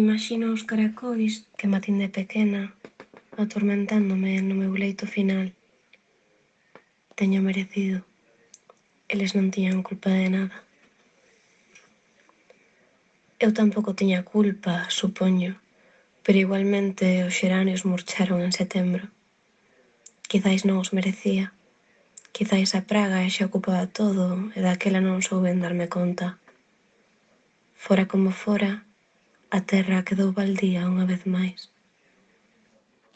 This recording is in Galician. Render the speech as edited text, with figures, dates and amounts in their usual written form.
Imaxino os caracois que matín de pequena atormentándome no meu leito final. Teño merecido. Eles non tiñan culpa de nada. Eu tampouco tiña culpa, supoño, pero igualmente os xeranios murcharon en setembro. Quizais non os merecía. Quizais a praga xa ocupaba todo e daquela non souben darme conta. Fora como fora, a terra quedou baldía unha vez máis.